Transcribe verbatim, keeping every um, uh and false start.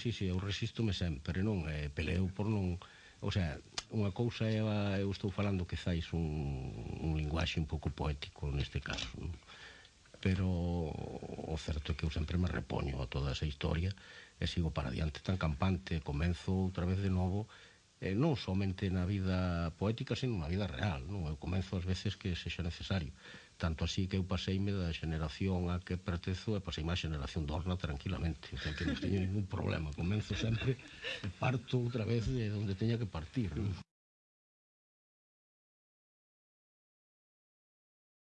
sí, sí, eu resístome sempre, non? Eh, peleo por non... O sea, unha cousa é, eu estou falando quizáis un, un linguaxe un pouco poético neste caso, non? Pero o certo é que eu sempre me repoño a toda esa historia e sigo para diante tan campante, comenzo outra vez de novo, eh, non somente na vida poética, sino na vida real, non? Eu comenzo as veces que sexa necesario, tanto así que eu paseime da xeneración a que pertezo e paseime a xeneración dorna tranquilamente, o sea que non teño ningún problema, comenzo sempre e parto outra vez de onde teña que partir, non?